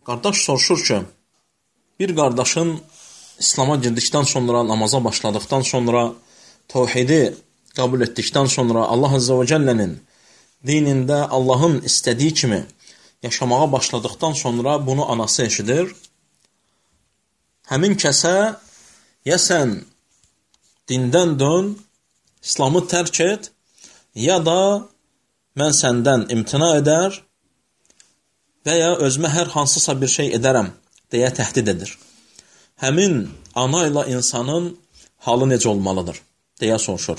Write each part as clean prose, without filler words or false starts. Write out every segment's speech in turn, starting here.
Qardaş soruşur ki, bir qardaşın İslam'a girdikdən sonra, namaza başladıqdan sonra, tevhidi qəbul etdikdən sonra Allah Azze ve Celle'nin dinində Allahın istədiyi kimi yaşamağa başladıqdan sonra bunu anası eşidir. Həmin kəsə ya sən dindən dön, İslamı tərk et, ya da mən səndən imtina edər və ya özümə hər hansısa bir şey edərəm deyə təhdid edir. Həmin ana ilə insanın halı necə olmalıdır deyə soruşur.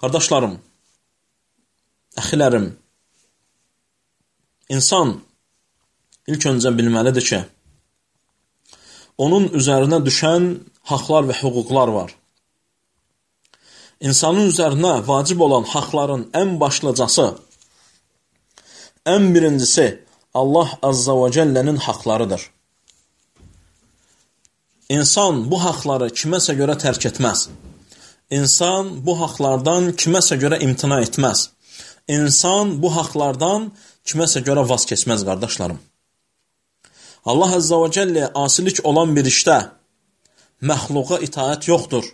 Qardaşlarım, əxilərim, insan ilk öncə bilməlidir ki, onun üzərinə düşən haqlar və hüquqlar var. İnsanın üzərinə vacib olan haqların ən başlıcası, ən birincisi Allah Azza və Cəllənin haqlarıdır. İnsan bu haqları kiməsə görə tərk etməz. İnsan bu haqlardan kiməsə görə imtina etməz. İnsan bu haqlardan kiməsə görə vaz keçməz, qardaşlarım. Allah Azza və Cəllə asilik olan bir işdə məxluqa itaət yoxdur.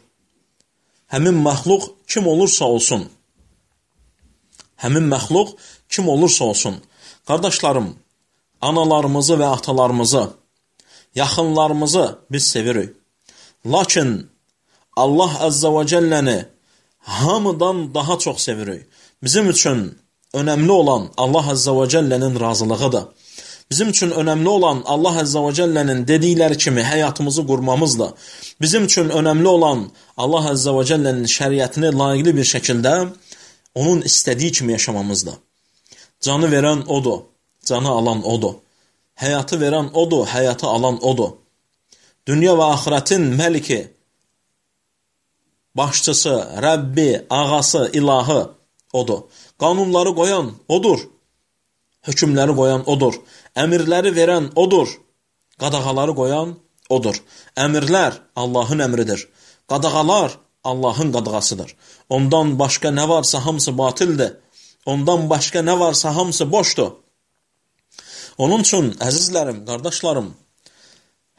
Həmin məxluq kim olursa olsun. Həmin məxluq kim olursa olsun. Qardaşlarım, analarımızı və atalarımızı, yaxınlarımızı biz sevirik. Lakin Allah Azza və Cəlləni hamıdan daha çox sevirik. Bizim üçün önəmli olan Allah Azza və Cəllənin razılığıdır. Bizim üçün önəmli olan Allah Azza və Cəllənin dedikləri kimi həyatımızı qurmamızdır. Bizim üçün önəmli olan Allah Azza və Cəllənin şəriətini layiqli bir şəkildə onun istədiyi kimi yaşamamızdır. Canı verən odur, canı alan odur. Həyatı verən odur, həyatı alan odur. Dünya və axirətin məliki, başçısı, Rəbbi, ağası, ilahı odur. Qanunları qoyan odur. Hökümləri qoyan odur. Əmirləri verən odur. Qadağaları qoyan odur. Əmirlər Allahın əmridir. Qadağalar Allahın qadağasıdır. Ondan başqa nə varsa hamısı batildir. Ondan başqa nə varsa hamısı boşdur. Onun üçün, əzizlərim, qardaşlarım,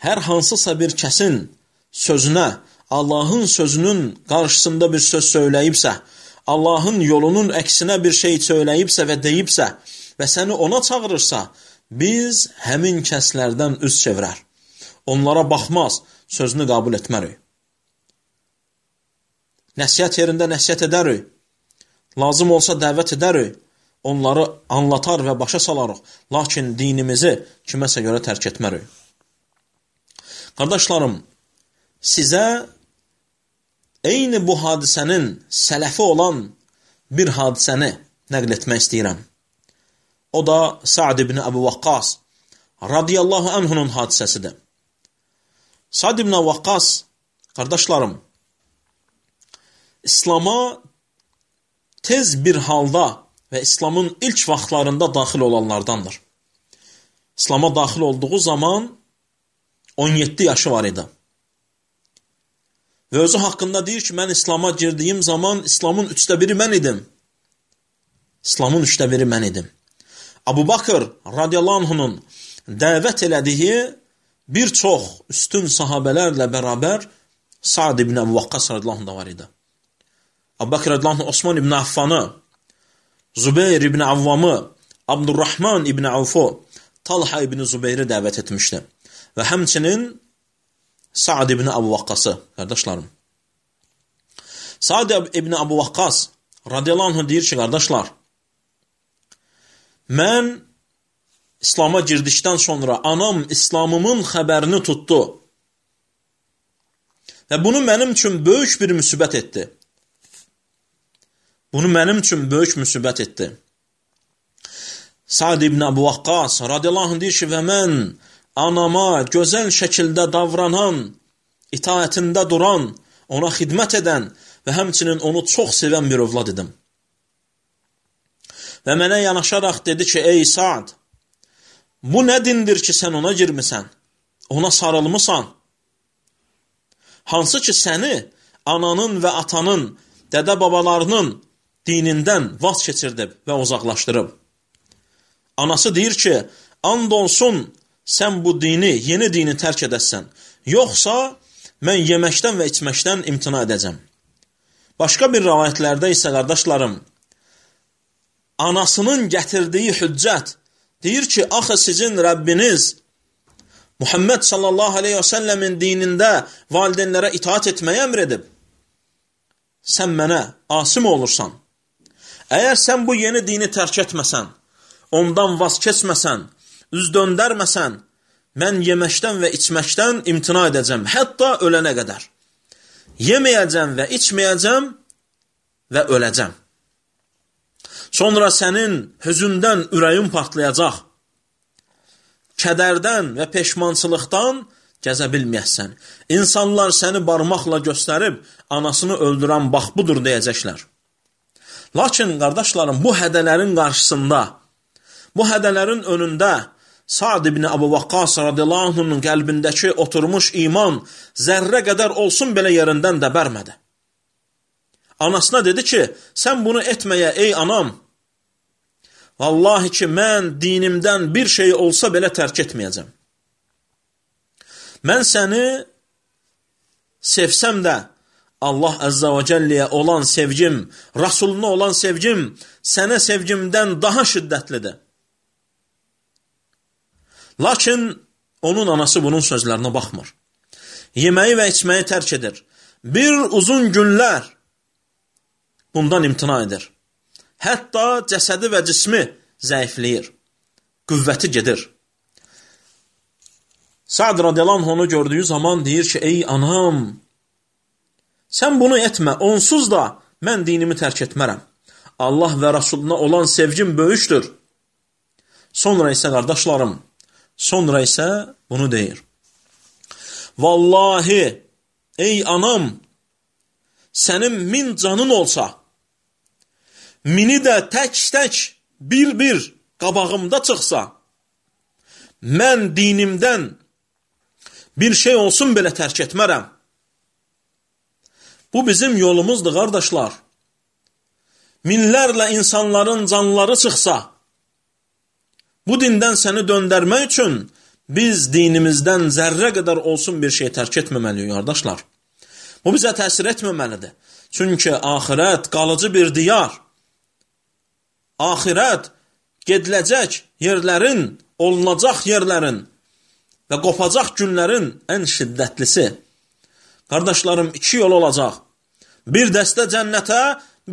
hər hansısa bir kəsin sözünə, Allahın sözünün qarşısında bir söz söyləyibsə, Allahın yolunun əksinə bir şey söyləyibsə və deyibsə və səni ona çağırırsa, biz həmin kəslərdən üz çevirər. Onlara baxmaz, sözünü qəbul etmərik. Nəsihət yerində nəsihət edərik. Lazım olsa dəvət edərik. Onları anlatar və başa salarıq. Lakin dinimizi kiməsə görə tərk etmərik. Qardaşlarım, sizə eyni bu hadisənin sələfi olan bir hadisəni nəql etmək istəyirəm. O da Sa'd ibn Əbu Vaqqas radiyallahu anhunun hadisəsidir. Sa'd ibn Əbu Vaqqas, qardaşlarım, İslam'a tez bir halda və İslamın ilk vaxtlarında daxil olanlardandır. İslam'a daxil olduğu zaman 17 yaşı var idi. Və özü haqqında deyir ki, mən İslam'a girdiyim zaman İslamın 1/3 mən idim. İslamın 1/3 mən idim. Abu Bakır radiyallahu anhunun dəvət elədiyi bir çox üstün sahabələrlə bərabər Sa'd ibn Əbu Vaqqas radiyallahu anh da var idi. Abu Bakır radiyallahu anh Osman ibn Affanı, Zübeyir ibn Avvamı, Abdurrahman ibn Avfu, Talha ibn Zübeyri dəvət etmişdi. Və həmçinin Sa'd ibn Əbu Vaqqası, qardaşlarım. Sa'd ibn Əbu Vaqqas radiyallahu anh deyir ki, qardaşlar, mən İslam'a girdikdən sonra anam İslamımın xəbərini tutdu. Və bunu mənim üçün böyük bir müsibət etdi. Bunu mənim üçün böyük müsibət etdi. Sa'd ibn Əbu Vaqqas radiyallahu anh deyir ki, və mən anama gözəl şəkildə davranan, itaətində duran, ona xidmət edən və həmçinin onu çox sevən bir övlad idim. Və mənə yanaşaraq dedi ki, ey Sa'd, bu nə dindir ki, sən ona girmisən, ona sarılmısan? Hansı ki, səni ananın və atanın, dədə babalarının dinindən vaz keçirdib və uzaqlaşdırıb. Anası deyir ki, and olsun sən bu dini, yeni dini tərk edəsən, yoxsa mən yeməkdən və içməkdən imtina edəcəm. Başqa bir rivayətlərdə isə qardaşlarım, anasının gətirdiyi hüccət deyir ki, axı sizin Rəbbiniz Muhammed sallallahu aleyhi və səlləmin dinində valideynlərə itaat etməyə əmr edib. Sən mənə asim olursan. Əgər sən bu yeni dini tərk etməsən, ondan vaz keçməsən, üz döndərməsən, mən yeməkdən və içməkdən imtina edəcəm, hətta ölənə qədər. Yeməyəcəm və içməyəcəm və öləcəm. Sonra sənin hüzündən ürəyin partlayacaq. Kədərdən və peşmançılıqdan gəzə bilməyəsən. İnsanlar səni barmaqla göstərib, anasını öldürən bax budur deyəcəklər. Lakin, qardaşlarım, bu hədələrin qarşısında, bu hədələrin önündə Sa'd ibn Əbu Vaqqas radiyallahu anh'ın qəlbindəki oturmuş iman zərrə qədər olsun belə yerindən də bərmədi. Anasına dedi ki, sən bunu etməyə ey anam, vallahi ki, mən dinimdən bir şey olsa belə tərk etməyəcəm. Mən səni sevsəm də, Allah Əzzə və Cəlliyə olan sevgim, Rasuluna olan sevgim, sənə sevgimdən daha şiddətlidir. Lakin onun anası bunun sözlərinə baxmır. Yeməyi və içməyi tərk edir. Bir uzun günlər bundan imtina edir. Hətta cəsədi və cismi zəifləyir. Qüvvəti gedir. Sa'd radiyallahu anh onu gördüyü zaman deyir ki, ey anam, sən bunu etmə, onsuz da mən dinimi tərk etmərəm. Allah və Rasuluna olan sevgim böyükdür. Sonra isə qardaşlarım, sonra isə bunu deyir. Vallahi, ey anam, sənin 1000 canın olsa, 1000'i də tək-tək, bir-bir qabağımda çıxsa, mən dinimdən bir şey olsun belə tərk etmərəm. Bu bizim yolumuzdur, qardaşlar. Minlərlə insanların canları çıxsa, bu dindən səni döndərmək üçün biz dinimizdən zərrə qədər olsun bir şey tərk etməməliyik, qardaşlar. Bu bizə təsir etməməlidir. Çünki axirət qalıcı bir diyar. Axirət gediləcək yerlərin, olunacaq yerlərin və qopacaq günlərin ən şiddətlisi. Qardaşlarım, 2 yol olacaq. Bir dəstə cənnətə,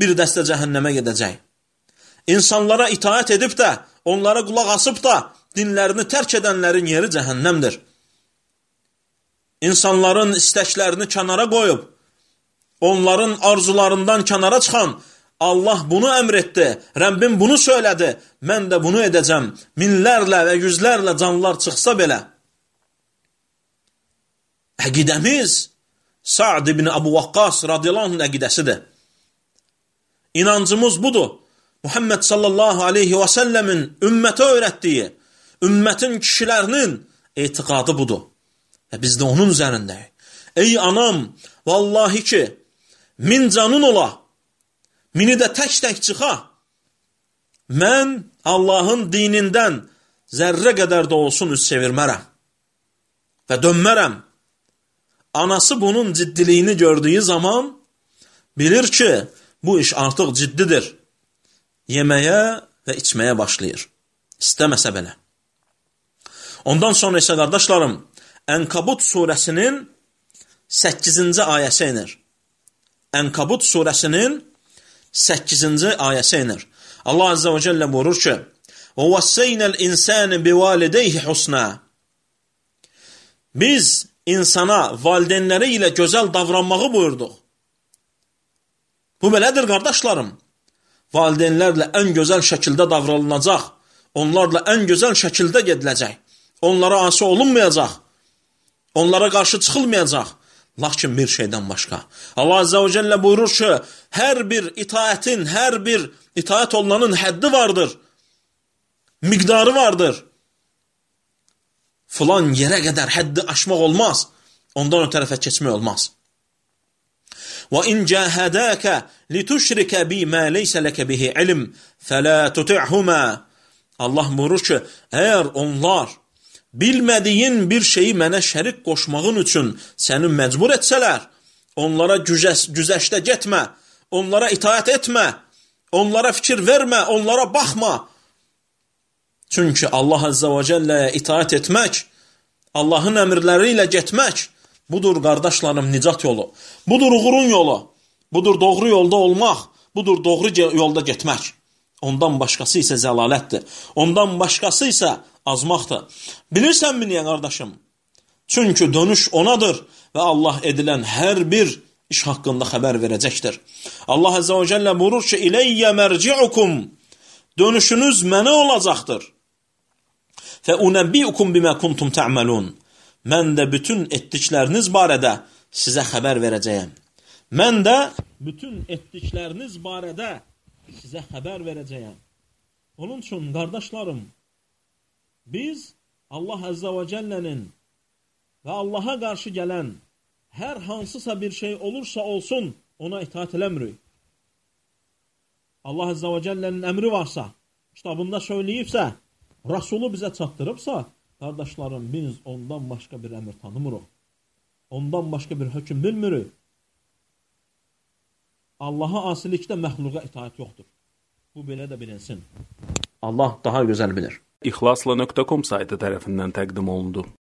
bir dəstə cəhənnəmə gedəcək. İnsanlara itaat edib də, onlara qulaq asıb da, dinlərini tərk edənlərin yeri cəhənnəmdir. İnsanların istəklərini kənara qoyub, onların arzularından kənara çıxan, Allah bunu əmr etdi, Rəbbim bunu söylədi, mən də bunu edəcəm, minlərlə və yüzlərlə canlar çıxsa belə. Əqidəmiz Sa'd ibn Əbu Vaqqas radiyallahu anh əqidəsidir. İnancımız budur. Muhammed sallallahu aleyhi və səlləmin ümmətə öyrətdiyi, ümmətin kişilərinin etiqadı budur. Və biz də onun üzərindəyik. Ey anam, vallahi ki, 1000 canın ola, 1000'i də tək-tək çıxa, mən Allahın dinindən zərrə qədər də olsun üz çevirmərəm və dönmərəm. Anası bunun ciddiliyini gördüyü zaman bilir ki, bu iş artıq ciddidir. Yeməyə və içməyə başlayır. İstəməsə belə. Ondan sonra isə qardaşlarım, Ənkabut surəsinin 8-ci ayəsi inir. Ənkabut surəsinin 8-ci ayəsi inir. Allah Azze və Cəllə buyurur ki, وَوَسَّيْنَا الْاِنْسَانِ بِوَالِدَيْهِ حُسْنًا Biz insana valideynləri ilə gözəl davranmağı buyurduq. Bu belədir, qardaşlarım. Valideynlərlə ən gözəl şəkildə davranılacaq. Onlarla ən gözəl şəkildə gediləcək. Onlara asi olunmayacaq. Onlara qarşı çıxılmayacaq. Lakin bir şeydən başqa. Allah Azze və Cəllə buyurur ki, hər bir itaətin, hər bir itaət olunanın həddi vardır. Miqdarı vardır. Filan yerə qədər həddi aşmaq olmaz. Ondan o tərəfə keçmək olmaz. وَإِنْ جَاهَدَاكَ لِتُشْرِكَ بِي مَا لَيْسَ لَكَ بِهِ عِلْمٍ فَلَا تُطِعْهُمَا Allah buyurur ki, əgər onlar bilmədiyin bir şeyi mənə şərik qoşmağın üçün səni məcbur etsələr, onlara güzəşdə getmə, onlara itaət etmə, onlara fikir vermə, onlara baxma. Çünki Allah Azza və Cəlləyə itaət etmək, Allahın əmrləri ilə getmək, budur qardaşlarım nicat yolu, budur uğurun yolu, budur doğru yolda olmaq, budur doğru yolda getmək. Ondan başqası isə zəlalətdir, ondan başqası isə azmaqdır. Bilirsənmi niyə qardaşım? Çünki dönüş onadır və Allah edilən hər bir iş haqqında xəbər verəcəkdir. Allah Azza və Cəllə buyurur ki, İləyyə mərci'ukum, dönüşünüz mənə olacaqdır. Fəunəbbi'ukum bimə kuntum tə'məlun, mən də bütün etdikləriniz barədə sizə xəbər verəcəyəm. Mən də bütün etdikləriniz barədə sizə xəbər verəcəyəm. Onun üçün, qardaşlarım, biz Allah Azza və Cəllənin və Allaha qarşı gələn hər hansısa bir şey olursa olsun, ona itaat eləmirik. Allah Azza və Cəllənin əmri varsa, kitabında söyləyibsə, Rasulü bizə çatdırıbsa, qardaşlarım, biz ondan başqa bir əmr tanımırıq. Ondan başqa bir hökm bilmirik. Allaha asilikdə məxluqa itaat yoxdur. Bu belə də bilinsin. Allah daha gözəl bilir. İxlasla.com saytı tərəfindən təqdim olundu.